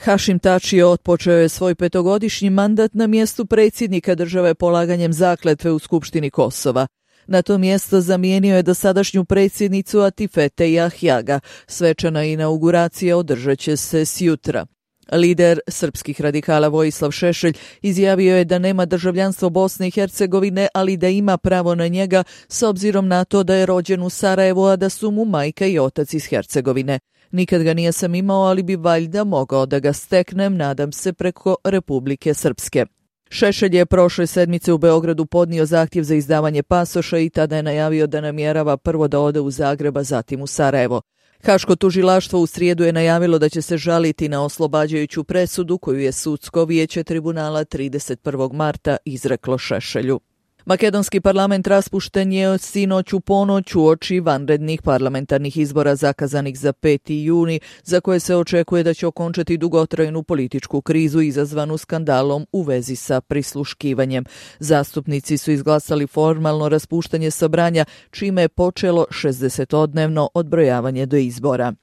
Hašim Tači otpočeo je svoj 5-godišnji mandat na mjestu predsjednika države polaganjem zakletve u Skupštini Kosova. Na to mjesto zamijenio je dosadašnju predsjednicu Atifete Jahjaga. Svečana inauguracija održat će se sjutra. Lider srpskih radikala Vojislav Šešelj izjavio je da nema državljanstvo Bosne i Hercegovine, ali da ima pravo na njega s obzirom na to da je rođen u Sarajevu, a da su mu majka i otac iz Hercegovine. Nikad ga nisam imao, ali bi valjda mogao da ga steknem, nadam se, preko Republike Srpske. Šešelj je prošle sedmice u Beogradu podnio zahtjev za izdavanje pasoša i tada je najavio da namjerava prvo da ode u Zagreb, a zatim u Sarajevo. Haško tužilaštvo u srijedu je najavilo da će se žaliti na oslobađajuću presudu koju je sudsko vijeće tribunala 31. marta izreklo Šešelju. Makedonski parlament raspušten je sinoć u ponoć uoči vanrednih parlamentarnih izbora zakazanih za 5. juni, za koje se očekuje da će okončati dugotrajnu političku krizu izazvanu skandalom u vezi sa prisluškivanjem. Zastupnici su izglasali formalno raspuštanje sabranja, čime je počelo 60-dnevno odbrojavanje do izbora.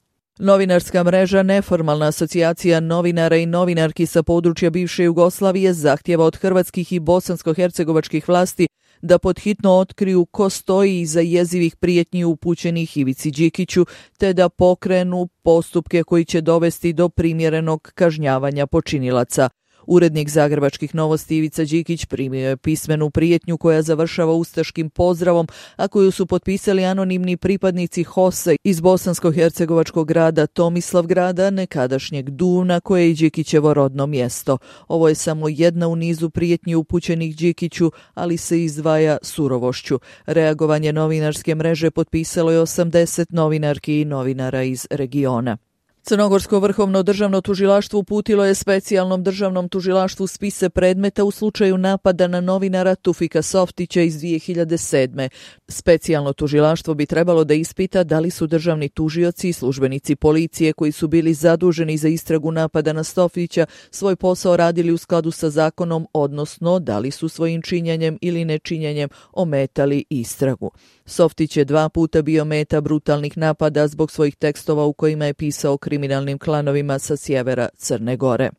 Novinarska mreža Neformalna asocijacija novinara i novinarki sa područja bivše Jugoslavije zahtjeva od hrvatskih i bosansko-hercegovačkih vlasti da podhitno otkriju ko stoji iza jezivih prijetnji upućenih Ivici Đikiću, te da pokrenu postupke koji će dovesti do primjerenog kažnjavanja počinilaca. Urednik Zagrebačkih novosti Ivica Đikić primio je pismenu prijetnju koja završava ustaškim pozdravom, a koju su potpisali anonimni pripadnici HOS-a iz bosansko-hercegovačkog grada Tomislavgrada, nekadašnjeg Duvna, koje je i Đikićevo rodno mjesto. Ovo je samo jedna u nizu prijetnji upućenih Đikiću, ali se izdvaja surovošću. Reagovanje novinarske mreže potpisalo je 80 novinarki i novinara iz regiona. Crnogorsko vrhovno državno tužilaštvo uputilo je specijalnom državnom tužilaštvu spise predmeta u slučaju napada na novinara Tufika Softića iz 2007. Specijalno tužilaštvo bi trebalo da ispita da li su državni tužioci i službenici policije koji su bili zaduženi za istragu napada na Softića svoj posao radili u skladu sa zakonom, odnosno da li su svojim činjenjem ili nečinjenjem ometali istragu. Softić je 2 puta bio meta brutalnih napada zbog svojih tekstova u kojima je pisao o kriminalnim klanovima sa sjevera Crne Gore.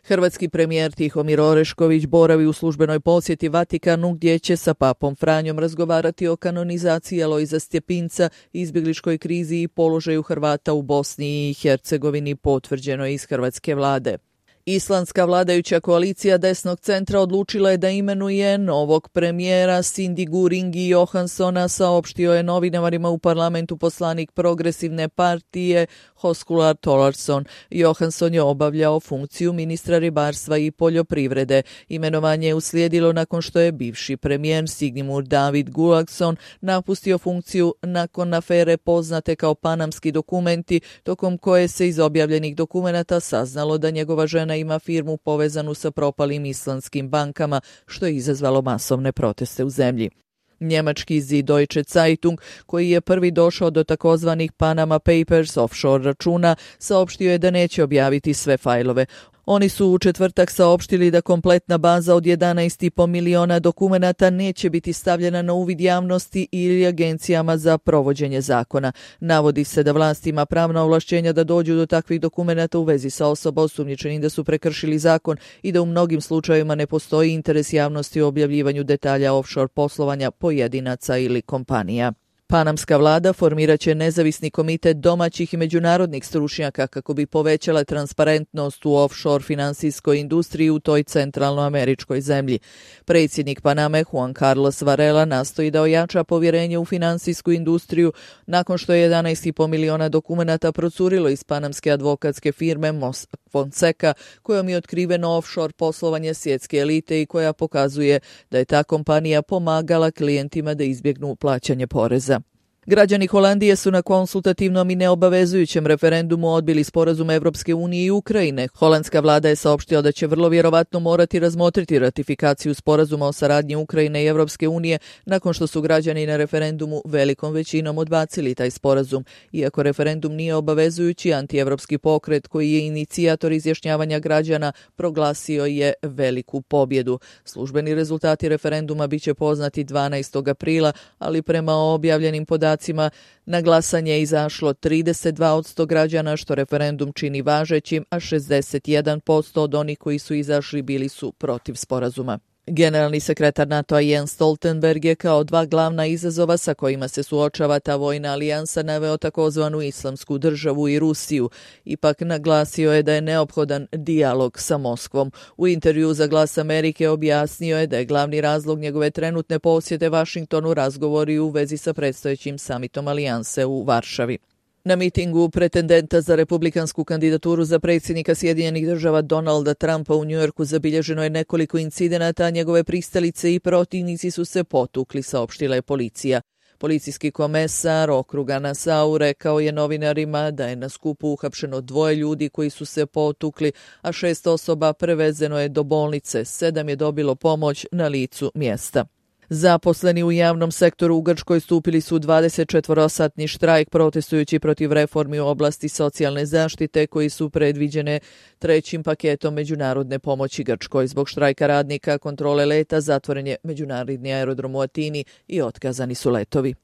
Hrvatski premijer Tihomir Orešković boravi u službenoj posjeti Vatikanu, gdje će sa papom Franjom razgovarati o kanonizaciji Alojza Stjepinca, izbjegličkoj krizi i položaju Hrvata u Bosni i Hercegovini, potvrđeno iz hrvatske vlade. Islandska vladajuća koalicija desnog centra odlučila je da imenuje novog premijera Sindigu Ringi Johanssona, saopštio je novinarima u parlamentu poslanik progresivne partije Höskuldur Thordarson. Johansson je obavljao funkciju ministra ribarstva i poljoprivrede. Imenovanje je uslijedilo nakon što je bivši premijer Sigmund David Gulagson napustio funkciju nakon afere poznate kao Panamski dokumenti, tokom koje se iz objavljenih dokumenata saznalo da njegova žena ima firmu povezanu sa propalim islandskim bankama, što je izazvalo masovne proteste u zemlji. Njemački Süddeutsche Zeitung, koji je prvi došao do takozvanih Panama Papers offshore računa, saopštio je da neće objaviti sve fajlove. Oni su u četvrtak saopštili da kompletna baza od 11,5 miliona dokumenata neće biti stavljena na uvid javnosti ili agencijama za provođenje zakona. Navodi se da vlast ima pravna ovlašćenja da dođu do takvih dokumenata u vezi sa osobama osumnjičenih da su prekršili zakon i da u mnogim slučajevima ne postoji interes javnosti u objavljivanju detalja offshore poslovanja pojedinaca ili kompanija. Panamska vlada formirat će nezavisni komitet domaćih i međunarodnih stručnjaka kako bi povećala transparentnost u offshore finansijskoj industriji u toj centralnoameričkoj zemlji. Predsjednik Paname Juan Carlos Varela nastoji da ojača povjerenje u finansijsku industriju nakon što je 11,5 miliona dokumenata procurilo iz panamske advokatske firme Mossack Fonseca, kojom je otkriveno offshore poslovanje svjetske elite i koja pokazuje da je ta kompanija pomagala klijentima da izbjegnu plaćanje poreza. Građani Holandije su na konsultativnom i neobavezujućem referendumu odbili sporazum Evropske unije i Ukrajine. Holandska vlada je saopštila da će vrlo vjerovatno morati razmotriti ratifikaciju sporazuma o saradnji Ukrajine i Evropske unije nakon što su građani na referendumu velikom većinom odbacili taj sporazum. Iako referendum nije obavezujući, antievropski pokret koji je inicijator izjašnjavanja građana proglasio je veliku pobjedu. Službeni rezultati referenduma biće poznati 12. aprila, ali prema objavljenim podacima podacima na glasanje je izašlo 32% građana, što referendum čini važećim, a 61% od onih koji su izašli bili su protiv sporazuma. Generalni sekretar NATO-a Jens Stoltenberg je kao dva glavna izazova sa kojima se suočava ta vojna alijansa naveo takozvanu Islamsku državu i Rusiju. Ipak naglasio je da je neophodan dijalog sa Moskvom. U intervju za Glas Amerike objasnio je da je glavni razlog njegove trenutne posjete Vašingtonu razgovori u vezi sa predstojećim samitom alijanse u Varšavi. Na mitingu pretendenta za republikansku kandidaturu za predsjednika Sjedinjenih država Donalda Trumpa u Njujorku zabilježeno je nekoliko incidenata, a njegove pristalice i protivnici su se potukli, saopštila je policija. Policijski komesar okruga Nassau rekao je novinarima da je na skupu uhapšeno 2 ljudi koji su se potukli, a 6 osoba prevezeno je do bolnice, 7 je dobilo pomoć na licu mjesta. Zaposleni u javnom sektoru u Grčkoj stupili su u 24-satni štrajk protestujući protiv reformi u oblasti socijalne zaštite koji su predviđene 3. paketom međunarodne pomoći Grčkoj. Zbog štrajka radnika kontrole leta zatvoren je međunarodni aerodrom u Atini i otkazani su letovi.